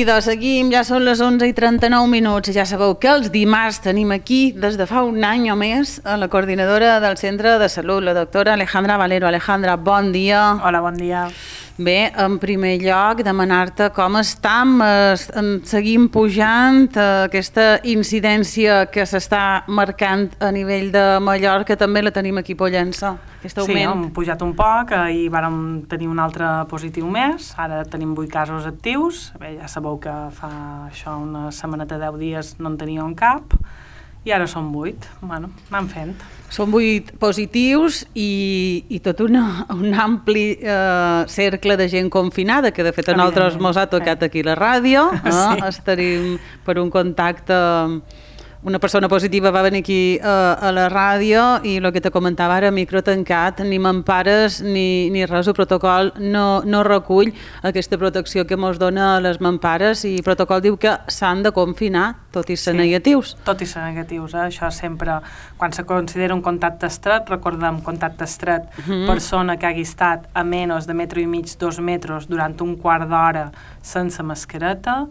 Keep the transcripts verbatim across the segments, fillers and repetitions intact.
de seguim, ja són les onze i trenta-nou minuts i ja sabeu que els dimarts tenim aquí, des de fa un any o més, a la coordinadora del Centre de Salut, la doctora Alejandra Valero. Alejandra, bon dia. Hola, bon dia. Bé, en primer lloc, demanar-te com estam, seguim pujant aquesta incidència que s'està marcant a nivell de Mallorca, també la tenim aquí a Pollença, aquest augment. Sí, hem pujat un poc, ahir vàrem tenir un altre positiu més, ara tenim vuit casos actius. Bé, ja sabeu que fa això una setmaneta, deu dies no en teníem cap, i ara són vuit. Bueno, anem fent. Són vuit positius i, i tot una, un ampli eh, cercle de gent confinada, que de fet a nosaltres mos ha tocat aquí a la ràdio. Eh? Sí. Estarim per un contacte... Una persona positiva va venir aquí eh, a la ràdio i el que te comentava ara, micro tancat, ni mampares ni, ni res, el protocol no, no recull aquesta protecció que ens dona a les mampares, i el protocol diu que s'han de confinar, tot i ser sí, negatius. Tot i ser negatius, eh? Això sempre, quan se considera un contacte estret, recordem, contacte estret, mm-hmm. persona que hagi estat a menys de metre i mig, dos metres durant un quart d'hora sense mascareta,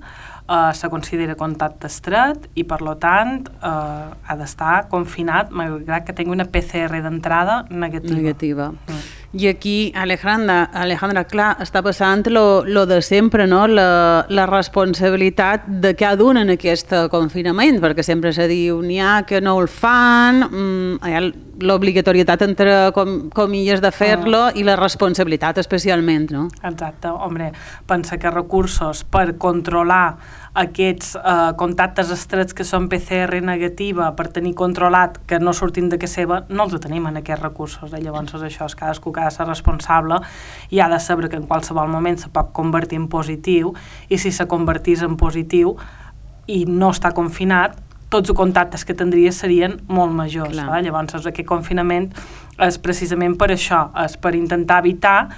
Uh, se considera contacte estret i, per tant, uh, ha d'estar confinat, malgrat que tingui una P C R d'entrada negativa. Negativa. Mm. I aquí, Alejandra, Alejandra, clar, està passant lo, lo de sempre, no? La, la responsabilitat de cada un en aquest confinament, perquè sempre se diu n'hi ha que no el fan, mm, hi ha l'obligatorietat entre com, comilles de fer-lo uh. i la responsabilitat especialment, no? Exacte, home, pensa que recursos per controlar aquests eh, contactes estrets que són P C R negativa, per tenir controlat que no surtin de casa seva, no els tenim en aquests recursos. Eh? Llavors això és cadascú que ha de ser responsable i ha de saber que en qualsevol moment se pot convertir en positiu, i si se convertís en positiu i no està confinat, tots els contactes que tindria serien molt majors. Eh? Llavors aquest confinament és precisament per això, és per intentar evitar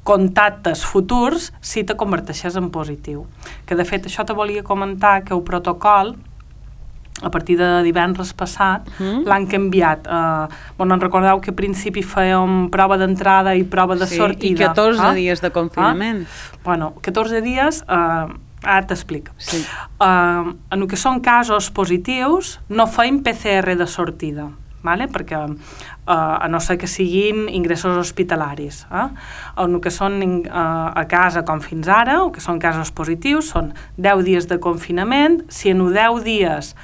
contactes futurs si te converteixes en positiu. Que de fet això te volia comentar, que el protocol a partir de divendres passat mm. l'han canviat. Uh, bueno, en recordeu que a principi fèiem prova d'entrada i prova de sí, sortida. I catorze ah? dies de confinament. Ah? Bueno, catorze dies... Uh, ara t'explico. Sí. Uh, en el que són casos positius no feim P C R de sortida, vale? Perquè uh, a no ser que siguin ingressos hospitalaris. Eh? En el que són uh, a casa com fins ara, el que són casos positius, són deu dies de confinament. Si en deu dies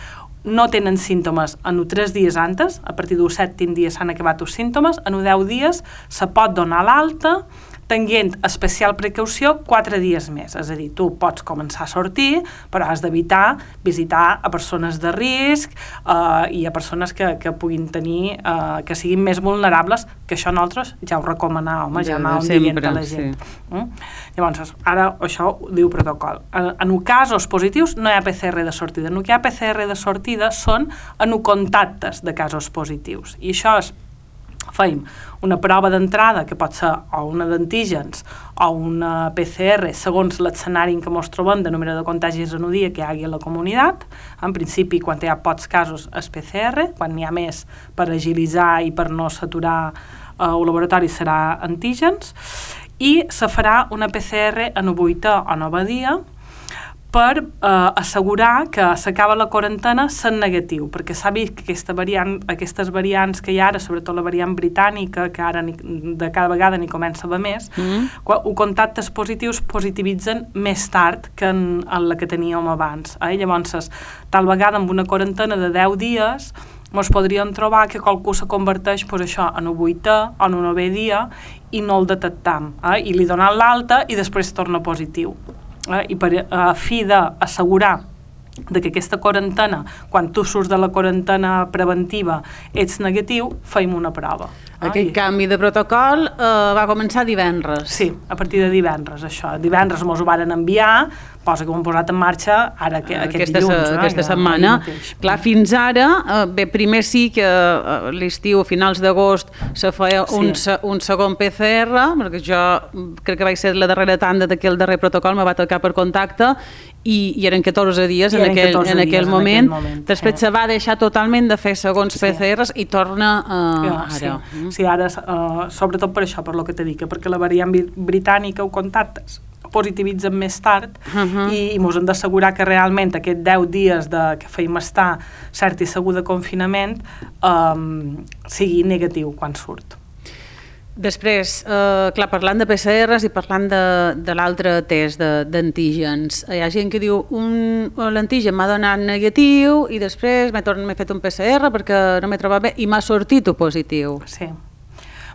no tenen símptomes, en tres dies antes, a partir dels set dies s'han acabat els símptomes, en deu dies se pot donar l'alta, tenint especial precaució quatre dies més. És a dir, tu pots començar a sortir, però has d'evitar visitar a persones de risc eh, i a persones que, que puguin tenir, eh, que siguin més vulnerables, que això nosaltres ja ho recomanàvem, ja anàvem dient a la gent. Sí. Mm? Llavors, ara això ho diu protocol. En, en casos positius no hi ha P C R de sortida. En el que hi ha P C R de sortida són en contactes de casos positius. I això és feim una prova d'entrada, que pot ser o una d'antígens o una P C R, segons l'escenari en què ens trobem de número de contagis en un dia que hi hagi a la comunitat. En principi, quan hi ha pocs casos, és P C R. Quan n'hi ha més, per agilitzar i per no saturar eh, el laboratori, serà antígens. I se farà una P C R en el vuitè o novè dia, per eh, assegurar que s'acaba la quarantena sent negatiu, perquè s'ha vist que aquesta variant, aquestes variants que hi ha ara, sobretot la variant britànica, que ara ni, de cada vegada n'hi comença a haver més, mm. quan contactes positius positivitzen més tard que en, en la que teníem abans. Eh? Llavors, tal vegada amb una quarantena de deu dies ens podríem trobar que qualcú se converteix pues, això, en un vuitè o en un novè dia i no el detectam, eh? I li donen l'alta i després torna positiu. Eh, i per a fi d'assegurar de que aquesta quarantena, quan tu surts de la quarantena preventiva, ets negatiu, feim una prova. Aquest Ai. canvi de protocol eh, va començar divendres. Sí, a partir de divendres, això. Divendres mos ho varen enviar, cosa que ho hem posat en marxa ara que, aquest aquesta, dilluns. Eh, aquesta setmana. Clar, fins ara, eh, bé, primer sí que eh, l'estiu, a finals d'agost, se feia sí. un, un segon P C R, perquè jo crec que vaig ser la darrera tanda d'aquell darrer protocol, me va tocar per contacte, i, i eren catorze dies I en, aquell, catorze en aquell dies moment. En aquell moment. Després eh. se va deixar totalment de fer segons sí. P C Rs i torna uh, ja, ara. Sí, sí ara, uh, sobretot per això, per lo que t'he dit, perquè la variant britànica ho contactes, positivitzen més tard uh-huh. i, i mos hem d'assegurar que realment aquests deu dies de, que feim estar cert i segur de confinament um, sigui negatiu quan surt. Després, eh, clar, parlant de P C Rs i parlant de, de l'altre test d'antígens, hi ha gent que diu un, l'antígen m'ha donat negatiu i després m'he fet un P C R perquè no m'he trobat bé i m'ha sortit positiu. Sí.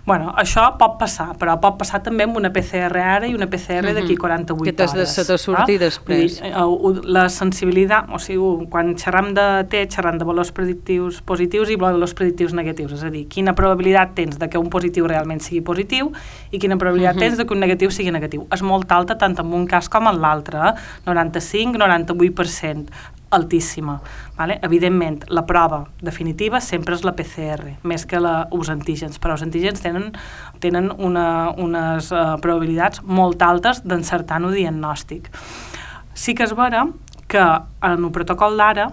Bueno, això pot passar, però pot passar també amb una P C R ara i una P C R d'aquí quaranta-vuit hores. Que t'has de sortir ah? després. Dir, la sensibilitat, o sigui, quan xerram de T, xerram de valors predictius positius i valors predictius negatius, és a dir, quina probabilitat tens de que un positiu realment sigui positiu i quina probabilitat uh-huh. tens de que un negatiu sigui negatiu. És molt alta tant en un cas com en l'altre, eh? noranta-cinc a noranta-vuit per cent. Altíssima. Vale? Evidentment, la prova definitiva sempre és la P C R, més que la, els antígens, però els antígens tenen, tenen una, unes uh, probabilitats molt altes d'encertar un diagnòstic. Sí que és vera que en el protocol d'ara,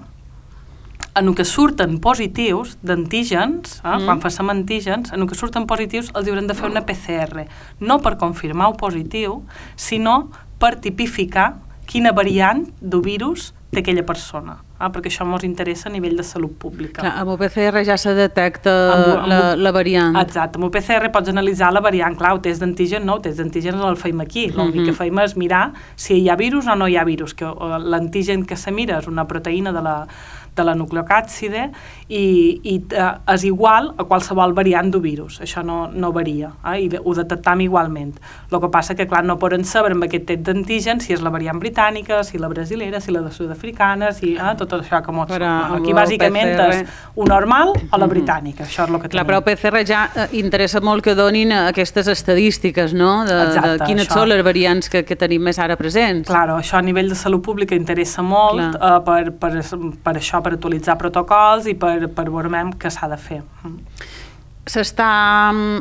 en el que surten positius d'antígens, eh, mm. quan facem antígens, en el que surten positius els haurem de fer una P C R, no per confirmar el positiu, sinó per tipificar quina variant del virus té aquella persona, eh? perquè això ens interessa a nivell de salut pública. Clar, amb el P C R ja se detecta amb, amb, la, la variant. Exacte, amb el P C R pots analitzar la variant, clar, el test d'antígen no, el test d'antígen el feim aquí, l'únic uh-huh. que feim és mirar si hi ha virus o no hi ha virus, que l'antígen que se mira és una proteïna de la, de la nucleocàpside i, i eh, és igual a qualsevol variant del virus, això no, no varia, eh? I ho detectam igualment. El que passa que, clar, no poden saber amb aquest test d'antígen si és la variant britànica, si la brasilera, si la de sud-africana, si eh, tot això que mos... Aquí bàsicament és un normal o la britànica, això és el que tenim. Clar, però el P C R ja eh, interessa molt que donin aquestes estadístiques, no? De, Exacte, de quines això. Són les variants que, que tenim més ara presents. Claro, això a nivell de salut pública interessa molt eh, per, per, per això, per actualitzar protocols i per, per veure què s'ha de fer. S'està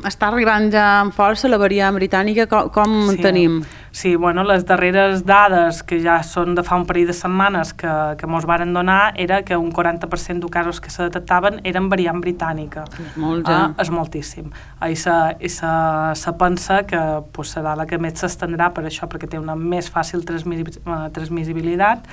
està arribant ja amb força la variant britànica, com, com sí. tenim? Sí, bueno, les darreres dades, que ja són de fa un parell de setmanes que, que mos varen donar, era que un quaranta per cent de casos que se detectaven eren variant britànica. És molt, ja. Ah, és moltíssim. I se, i se, se pensa que pues, serà la que més s'estendrà per això, perquè té una més fàcil transmissibilitat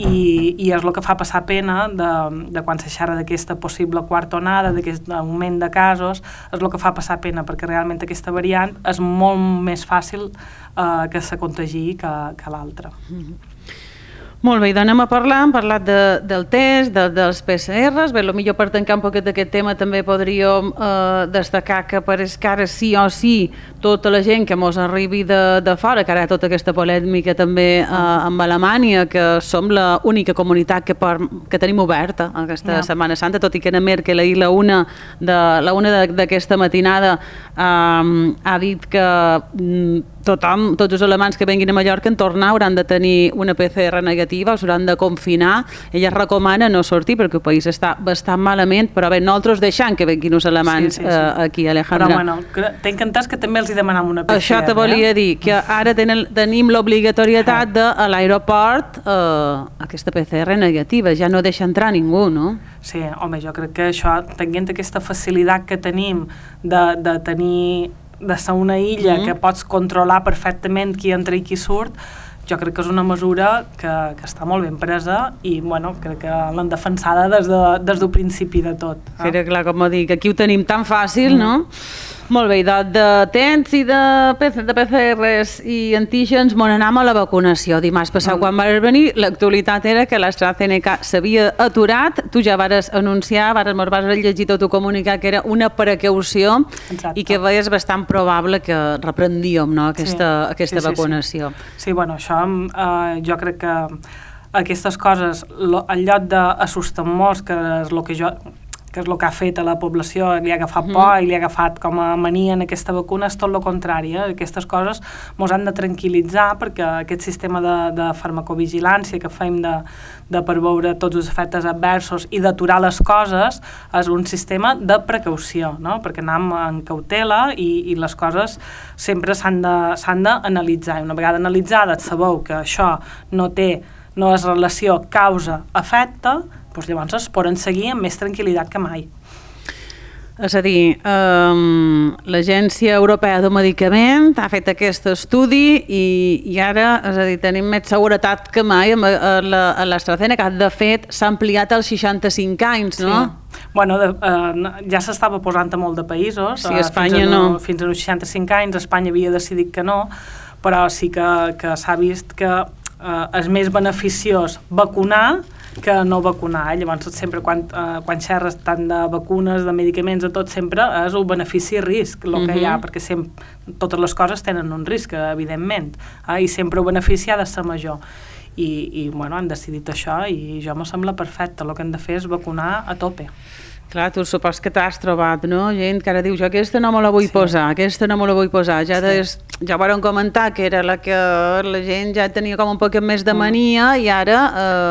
i, i és el que fa passar pena de, de quan se xerra d'aquesta possible quarta onada, d'aquest augment de casos, és el que fa passar pena, perquè realment aquesta variant és molt més fàcil eh, que se contagi que, que l'altra. Mm-hmm. Molt bé, i anem a parlar, hem parlat de, del test, de, dels P C Rs, bé, potser per tancar un poquet d'aquest tema també podríem eh, destacar que pareix que ara sí o sí tota la gent que mos arribi de, de fora, que ara hi ha tota aquesta polèmica també eh, amb Alemanya, que som l'única comunitat que, per, que tenim oberta aquesta yeah. Setmana Santa, tot i que Anna Merkel ahir la una d'aquesta matinada eh, ha dit que mm, tothom, tots els alemans que venguin a Mallorca en tornar hauran de tenir una P C R negativa, s'hauran de confinar. Ella recomana no sortir perquè el país està bastant malament, però bé, nosaltres deixant que venguin els alemans sí, sí, sí. Eh, aquí, Alejandra. Però bueno, t'he entès que també els hi demanam una P C R. Això te volia eh? dir, que ara tenen, tenim l'obligatorietat de a l'aeroport eh, aquesta P C R negativa, ja no deixa entrar ningú, no? Sí, home, jo crec que això, tenint aquesta facilitat que tenim de, de tenir de ser una illa mm. que pots controlar perfectament qui entra i qui surt, jo crec que és una mesura que, que està molt ben presa i bueno, crec que l'han defensada des, de, des del principi de tot. Eh? Sí, clar, com dic, aquí ho tenim tan fàcil, mm. no? Molt bé, de, de temps i de, de P C Rs i antígens m'on anam a la vacunació. Dimarts passat, mm. quan vas venir, l'actualitat era que l'AstraZeneca s'havia aturat, tu ja vares anunciar, vares, vas llegir tot el comunicat que era una precaució. Exacte. I que veies bastant probable que reprendíem, no, aquesta, sí. aquesta sí, sí, vacunació. Sí. sí, bueno, això eh, jo crec que aquestes coses, lo, en lloc d'assustar molts, que és el que jo... que és el que ha fet a la població, li ha agafat por mm. i li ha agafat com a mania en aquesta vacuna, és tot el contrari. Eh? Aquestes coses ens han de tranquil·litzar perquè aquest sistema de, de farmacovigilància que fem de, de per veure tots els efectes adversos i d'aturar les coses és un sistema de precaució, no? Perquè anem en cautela i, i les coses sempre s'han de, s'han d'analitzar. I una vegada analitzades sabeu que això no té no és relació causa-efecte, doncs llavors es poden seguir amb més tranquil·litat que mai. És a dir, um, l'Agència Europea del Medicament ha fet aquest estudi i, i ara, és a dir, tenim més seguretat que mai amb l'AstraZeneca. De fet, s'ha ampliat als seixanta-cinc anys, no? Sí. Bueno, de, uh, ja s'estava posant a molt de països. Sí, a Espanya fins a, no. Fins als seixanta-cinc anys, Espanya havia decidit que no, però sí que, que s'ha vist que uh, és més beneficiós vacunar que no vacunar. Llavors, sempre quan, eh, quan xerres tant de vacunes, de medicaments, de tot, sempre és un benefici-risc, el que uh-huh. hi ha, perquè sempre, totes les coses tenen un risc, evidentment, eh, i sempre el benefici ha de ser major. I, i bueno, han decidit això i jo me sembla perfecte. El que hem de fer és vacunar a tope. Clar, tu supos que t'has trobat, no? Gent que ara diu, jo aquesta no me la vull sí. posar, aquesta no me la vull posar. Ja, des, ja varen comentar que era la que la gent ja tenia com un poc més de mania mm. i ara...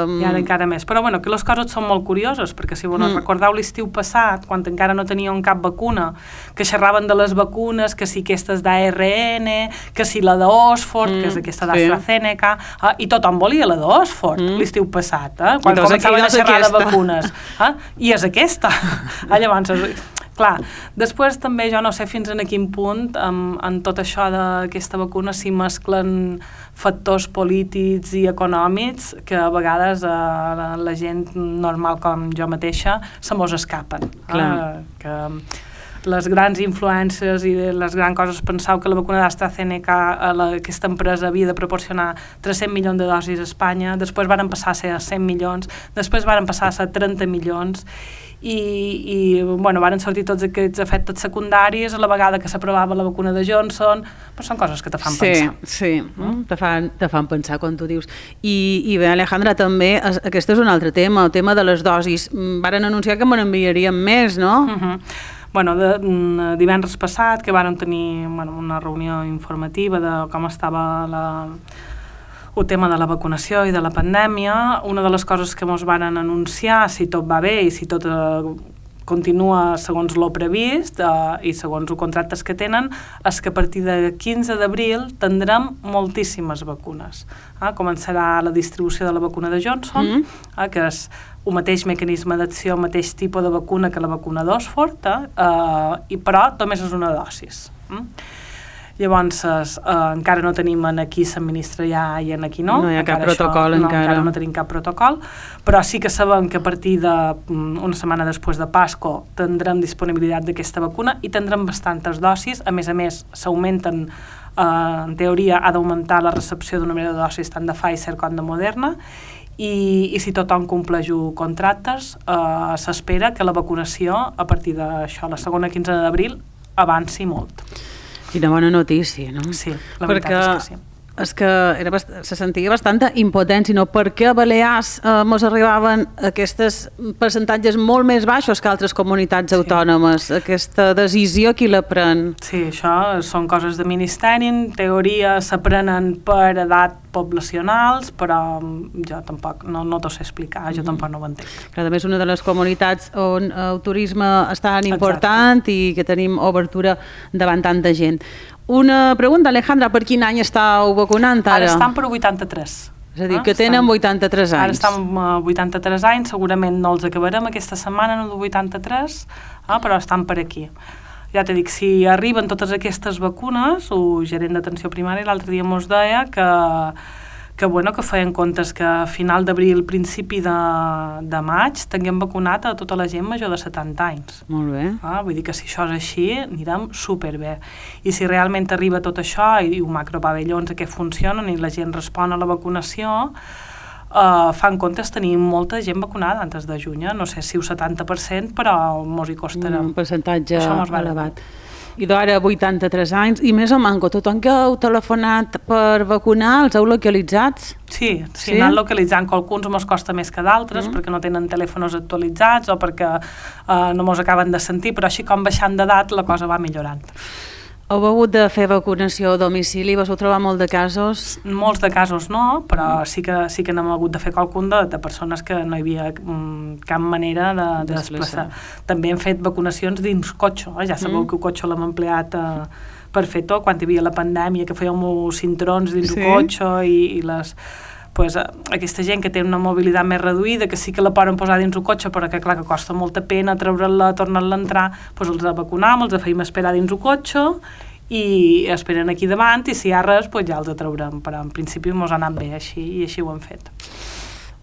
Um... I ara encara més. Però bueno, que les coses són molt curioses, perquè si bueno, mm. recordeu l'estiu passat, quan encara no teníem cap vacuna, que xerraven de les vacunes, que si aquesta és d'A R N, que si la d'Oxford, mm. que és aquesta d'AstraZeneca, sí. eh, i tothom volia la d'Oxford mm. l'estiu passat, eh, quan doncs començaven a xerrar de vacunes. Eh, I és aquesta. Ah, llavors, clar, després també jo no sé fins en quin punt en, en tot això d'aquesta vacuna s'hi mesclen factors polítics i econòmics que a vegades eh, la, la gent normal com jo mateixa se mos escapen. Eh, que les grans influències i les grans coses, penseu que la vacuna d'AstraZeneca, la, aquesta empresa havia de proporcionar tres-cents milions de dosis a Espanya, després varen passar a ser cent milions, després varen passar a ser trenta milions, i, i bueno, varen sortir tots aquests efectes secundaris a la vegada que s'aprovava la vacuna de Johnson, però són coses que te fan sí, pensar. Sí, mm? te, fan, te fan pensar quan tu dius. I, i bé, Alejandra, també, aquest és un altre tema, el tema de les dosis. Varen anunciar que me n'enviarien més, no? Uh-huh. Bueno, de, de divendres passat, que vàrem tenir bueno, una reunió informativa de com estava la, el tema de la vacunació i de la pandèmia, una de les coses que ens van anunciar, si tot va bé i si tot eh, continua segons l'ho previst eh, i segons els contractes que tenen, és que a partir de quinze d'abril tindrem moltíssimes vacunes. Eh? Començarà la distribució de la vacuna de Johnson, mm. eh, que és el mateix mecanisme d'acció, el mateix tipus de vacuna que la vacuna d'Oxford, eh? Uh, i però només és una dosis. Mm? Llavors, eh, encara no tenim en aquí s'administra ja i en aquí no. No hi ha encara cap protocol això, no, encara. encara no tenim cap protocol, però sí que sabem que a partir d'una setmana després de Pasco tindrem disponibilitat d'aquesta vacuna i tindrem bastantes dosis. A més a més, s'augmenten, eh, en teoria, ha d'augmentar la recepció d'un número de dosis tant de Pfizer com de Moderna, i, i si tothom compleix els contractes, eh, s'espera que la vacunació, a partir d'això, la segona quinzena d'abril, avanci molt. Quina bona notícia, no? Sí, la veritat Perquè és que sí. És que era bast... se sentia bastanta impotència, no? Per què a Balears eh, mos arribaven aquests percentatges molt més baixos que altres comunitats sí. autònomes? Aquesta decisió, qui la pren? Sí, això són coses de ministeri, en teoria s'aprenen per edat poblacionals, però jo tampoc no, no t'ho sé explicar, jo mm. tampoc no ho entenc. Però a més, una de les comunitats on el turisme és tan important Exacte. I que tenim obertura davant tanta gent. Una pregunta, Alejandra, per quin any estàu vacunant ara? Ara estan per vuitanta-tres. És a dir, que tenen vuitanta-tres anys. Ara estan a vuitanta-tres anys, segurament no els acabarem aquesta setmana, no de vuitanta-tres, eh, però estan per aquí. Ja t'he dit, si arriben totes aquestes vacunes, el gerent d'atenció primària l'altre dia mos deia que, que, bueno, que feien comptes que a final d'abril, principi de, de maig, tinguem vacunat a tota la gent major de setanta anys. Molt bé. Ah, vull dir que si això és així, anirem superbé. I si realment arriba tot això, i els macropavellons que funcionen i la gent respon a la vacunació, Uh, fan comptes tenir molta gent vacunada antes de juny, no sé si el setanta per cent, però mos hi costarà. Un percentatge elevat. I d'ara vuitanta-tres anys, i més o manco, tothom que heu telefonat per vacunar els heu localitzats? Sí, sí, sí? Anant localitzant, que alguns mos costa més que d'altres, mm. perquè no tenen telèfons actualitzats o perquè uh, no mos acaben de sentir, però així com baixant d'edat la cosa va millorant. Heu hagut de fer vacunació a domicili? Vos heu trobat molt de casos? Molts de casos no, però sí que, sí que n'hem hagut de fer qualcun de, de persones que no hi havia um, cap manera de, de desplaçar. També hem fet vacunacions dins cotxe, eh? Ja sabeu mm. que el cotxe l'hem empleat uh, per fer tot, quan hi havia la pandèmia, que fèiem cinturons dins sí. el cotxe i, i les... pues, aquesta gent que té una mobilitat més reduïda, que sí que la poden posar dins el cotxe, però que clar que costa molta pena treure-la, tornar-la a entrar, pues els vacunam, els feim esperar dins el cotxe i esperen aquí davant i si hi ha res, pues ja els traurem, però en principi mos ha anat bé així i així ho hem fet.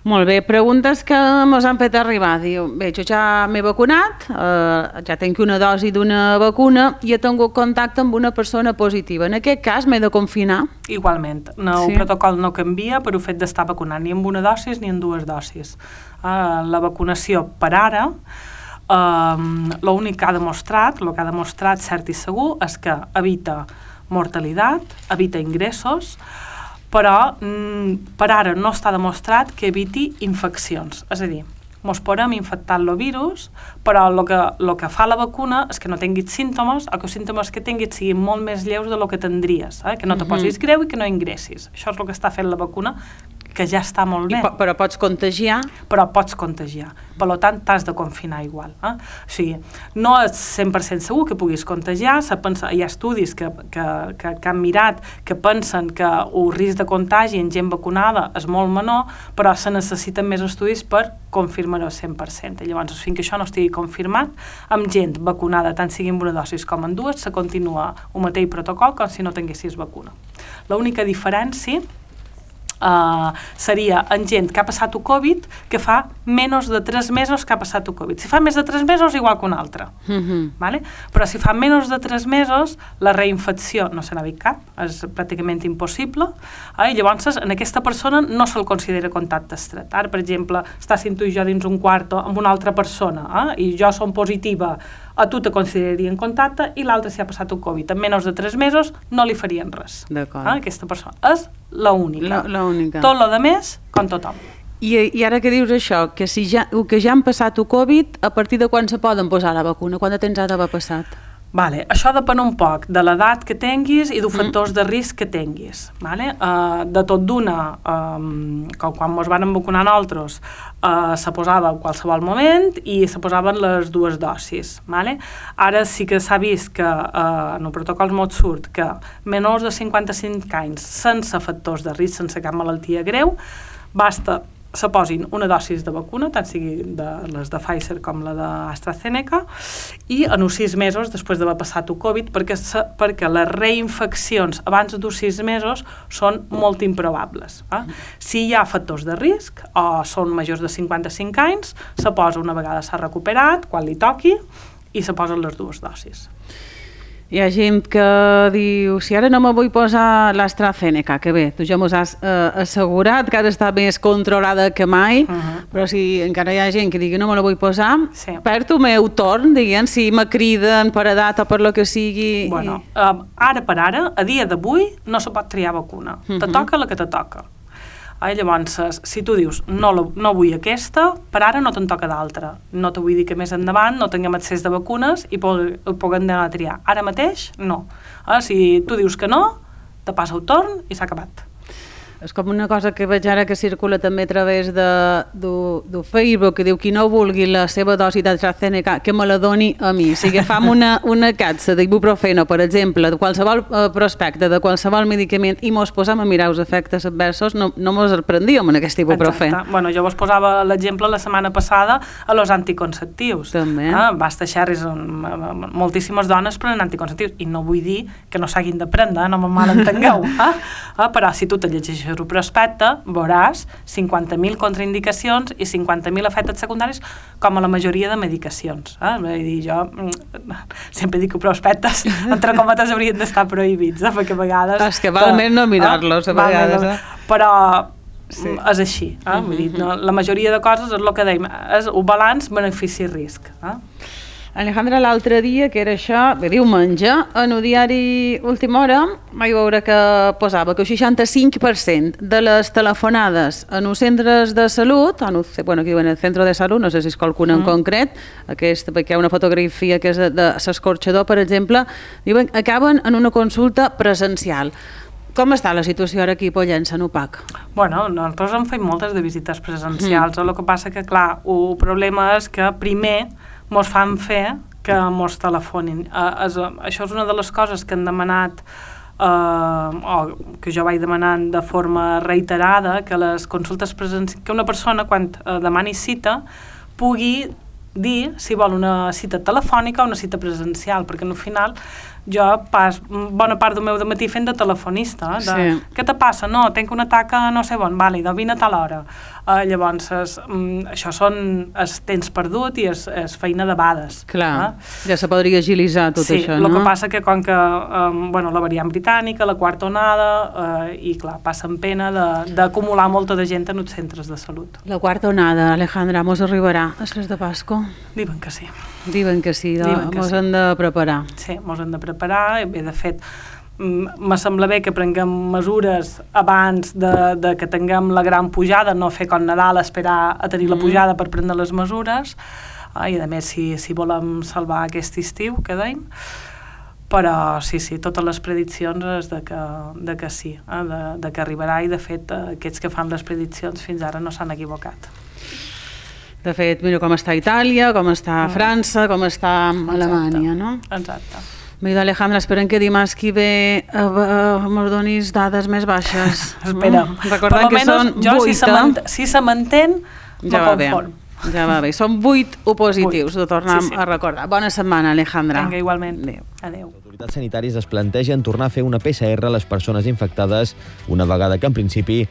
Molt bé, preguntes que ens han fet arribar. Diu, bé, jo ja m'he vacunat, eh, ja tinc una dosi d'una vacuna i he tingut contacte amb una persona positiva. En aquest cas m'he de confinar? Igualment. No, sí. El protocol no canvia per el fet d'estar vacunat ni amb una dosis ni amb dues dosis. Eh, la vacunació per ara, eh, l'únic que ha demostrat, el que ha demostrat cert i segur, és que evita mortalitat, evita ingressos, però mm, per ara no està demostrat que eviti infeccions. És a dir, mos podem infectar el virus, però el que, lo que fa la vacuna és que no tinguis símptomes o que els símptomes que tinguis siguin molt més lleus del que tindries, eh? Que no te posis greu i que no ingressis. Això és el que està fent la vacuna, que ja està molt bé. I, però pots contagiar? Però pots contagiar. Per tant, t'has de confinar igual. Eh? O sigui, no és cent per cent segur que puguis contagiar. Pensa, hi ha estudis que, que, que, que han mirat que pensen que el risc de contagi en gent vacunada és molt menor, però se necessiten més estudis per confirmar-ho al cent per cent. I llavors, fins que això no estigui confirmat, amb gent vacunada, tant sigui amb una dosis com en dues, se continua el mateix protocol com si no tinguessis vacuna. L'única diferència Uh, seria en gent que ha passat el Covid que fa menys de tres mesos que ha passat el Covid. Si fa més de tres mesos, igual que un altre. Mm-hmm. Vale? Però si fa menys de tres mesos, la reinfecció no se n'ha vist cap, és pràcticament impossible, eh? I llavors en aquesta persona no se'l considera contacte estret. Ara, per exemple, estàssim tu i jo dins un quarto amb una altra persona, eh? I jo som positiva, a tu te consideraria en contacte i l'altre si ha passat el Covid. En menys de tres mesos no li farien res. D'acord. Eh? Aquesta persona és l'única. L'única. Tot lo de més, com tothom. I, I ara que dius això, que si ja, que ja han passat el Covid, a partir de quan se poden posar la vacuna? Quant de temps ha d'haver passat? Vale, això depèn un poc de l'edat que tinguis i dels factors de risc que tinguis. Vale? Uh, de tot d'una, um, com quan ens van vacunar nosaltres, uh, se posava en qualsevol moment i se posaven les dues dosis. Vale? Ara sí que s'ha vist que uh, en el protocol molt surt que menors de cinquanta-cinc anys sense factors de risc, sense cap malaltia greu, basta se posin una dosis de vacuna, tant sigui de les de Pfizer com la d'AstraZeneca, i en uns sis mesos, després d'haver passat el Covid, perquè, se, perquè les reinfeccions abans dels sis mesos són molt improbables. Eh? Si hi ha factors de risc, o són majors de cinquanta-cinc anys, se posa una vegada s'ha recuperat, quan li toqui, i se posen les dues dosis. Hi ha gent que diu, si ara no me vull posar l'AstraZeneca, que bé, tu ja mos has eh, assegurat que ara està més controlada que mai, uh-huh. Però si encara hi ha gent que digui no me la vull posar, sí. Perd el meu torn, diguem, si me criden per edat o per lo que sigui. Bueno, i... uh, ara per ara, a dia d'avui, no se pot triar vacuna. Uh-huh. Te toca la que te toca. Eh, llavors, si tu dius no, la, no vull aquesta, per ara no te'n toca d'altra. No te vull dir que més endavant no tinguem accés de vacunes i puguem anar a triar. Ara mateix, no. Eh, si tu dius que no, te passa el torn i s'ha acabat. És com una cosa que veig ara que circula també a través de, de, de Facebook, que diu qui no vulgui la seva dosi d'AstraZeneca, que me la doni a mi. Si agafam una, una capsa d'ibuprofeno, per exemple, de qualsevol eh, prospecte, de qualsevol medicament, i mos posam a mirar els efectes adversos, no, no mos sorprendíem en aquest ibuprofen. Exacte. Bueno, jo vos posava l'exemple la setmana passada a los anticonceptius. També. Ah, basta xerris, moltíssimes dones prenen anticonceptius, i no vull dir que no s'hagin de prendre, no me malentengueu. Ah? Ah, però si tu te llegeixes el prospecte, veuràs cinquanta mil contraindicacions i cinquanta mil efectes secundaris com a la majoria de medicacions. Eh? Vull dir, jo sempre dic que prospectes, entre cometes, haurien d'estar prohibits, eh? Perquè a vegades... És que val més no mirar-los, a vegades. Eh? Però sí. És així. Eh? Uh-huh. Vull dir, no, la majoria de coses és el que dèiem, és un balanç benefici-risc. Eh? Alejandra, l'altre dia, que era això, bé, diumenge, en el diari Última Hora vaig veure que posava que el seixanta-cinc per cent de les telefonades en els centres de salut, en el, bueno, aquí diuen el centre de salut, no sé si és qualcun en mm. concret, aquest, perquè hi ha una fotografia que és de l'escorxador, per exemple, diuen, acaben en una consulta presencial. Com està la situació ara aquí a Pollença, en U P A C? Bueno, nosaltres hem fet moltes de visites presencials, mm. el que passa que, clar, el problema és que primer mos fan fer que mos telefonin. Uh, és, això és una de les coses que han demanat eh, o que jo vaig demanant de forma reiterada, que les consultes presencials, que una persona quan eh, demani cita pugui dir si vol una cita telefònica o una cita presencial, perquè al final jo pas bona part del meu dematí fent de telefonista, de, sí. què te passa? No, tenc un atac a no sé on, vale, de vine a tal hora. Uh, llavors, es, um, això són el temps perdut i és, és feina de bades. Clar, eh? ja se podria agilitzar tot sí, això, no? Sí, el que no? passa que com que um, bueno, la variant britànica, la quarta onada, uh, i clar, passen pena d'acumular molta de gent en els centres de salut. La quarta onada, Alejandra, mos arribarà després de Pasco? Diuen que sí. Diuen que sí, de, Diuen que mos sí. hem de preparar. Sí, mos hem de preparar, bé, de fet, me sembla bé que prenguem mesures abans de, de que tinguem la gran pujada, no fer com Nadal, esperar a tenir la pujada per prendre les mesures, eh, i a més si, si volem salvar aquest estiu, que dèiem, però sí, sí, totes les prediccions és de que, de que sí, eh, de, de que arribarà, i de fet aquests que fan les prediccions fins ara no s'han equivocat. De fet, mira com està Itàlia, com està França, com està Alemanya, no? Exacte. Mira, Alejandra, esperem que dimarts que ve eh, eh, mos donis dades més baixes. Espera. Mm? Recordem que són jo, vuit, si se mant- si se mantén, ja me va bé. conform. Ja va bé. Són vuit opositius, ho tornem Sí, sí. a recordar. Bona setmana, Alejandra. Vinga, igualment. Adéu. Adéu. Les autoritats sanitàries es plantegen tornar a fer una P C R a les persones infectades, una vegada que, en principi,